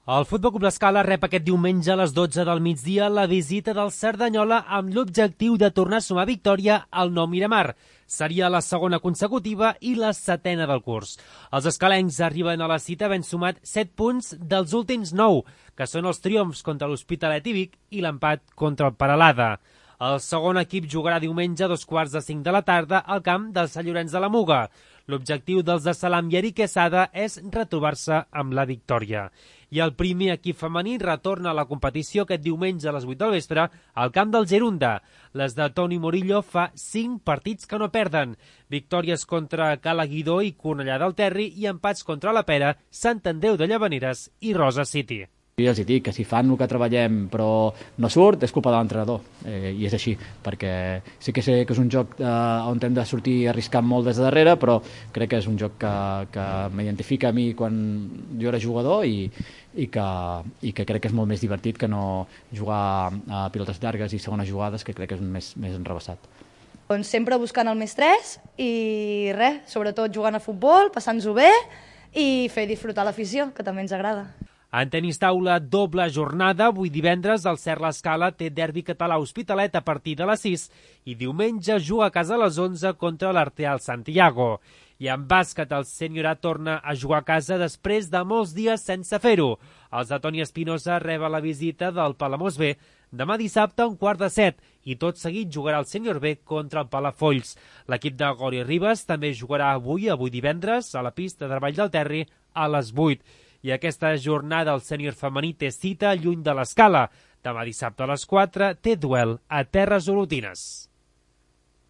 El Futbol Club L'Escala rep aquest diumenge a les 12 del migdia la visita del Cerdanyola amb l'objectiu de tornar a sumar victòria al Nou Miramar. Seria la segona consecutiva i la setena del curs. Els escalencs arriben a la cita havent sumat 7 punts dels últims 9, que són els triomfs contra l'Hospitalet i Vic i l'empat contra el Peralada. El segon equip jugarà diumenge a 2:45 de la tarda al camp del Sant Llorenç de la Muga. L'objectiu dels de Salam i Eric Quesada és retrobar-se amb la victòria. I el primer equip femení retorna a la competició aquest diumenge a les 8 del vespre al camp del Gerunda. Les de Toni Murillo fa 5 partits que no perden. Victòries contra Cala Guidó i Cornellà del Terri i empats contra la Pera, Sant Andreu de Llavaneres i Rosa City. Jo els dic que si fan el que treballem però no surt, és culpa de l'entrenador, i és així, perquè sí que sé que és un joc on hem de sortir arriscant molt des de darrere, però crec que és un joc que m'identifica a mi quan jo era jugador i que crec que és molt més divertit que no jugar a pilotes llargues i segones jugades, que crec que és més enrevessat. Doncs sempre buscant el més 3 i res, sobretot jugant a futbol, passant-nos-ho bé i fer disfrutar l'afició, que també ens agrada. En tenis taula, doble jornada. Avui divendres el Cert L'Escala té derbi català Hospitalet a partir de les 6 i diumenge juga a casa a les 11 contra l'Arteal Santiago. I en bàsquet el Senyorà torna a jugar a casa després de molts dies sense fer-ho. Els de Toni Espinosa reben la visita del Palamós B demà dissabte a 6:45 i tot seguit jugarà el Sènior B contra el Palafolls. L'equip de Gori Ribas també jugarà avui divendres, a la pista de Vall del Terri a les 8. I aquesta jornada el sènior femení té cita lluny de l'Escala. Demà dissabte a les 4 té duel a Terres Olotines.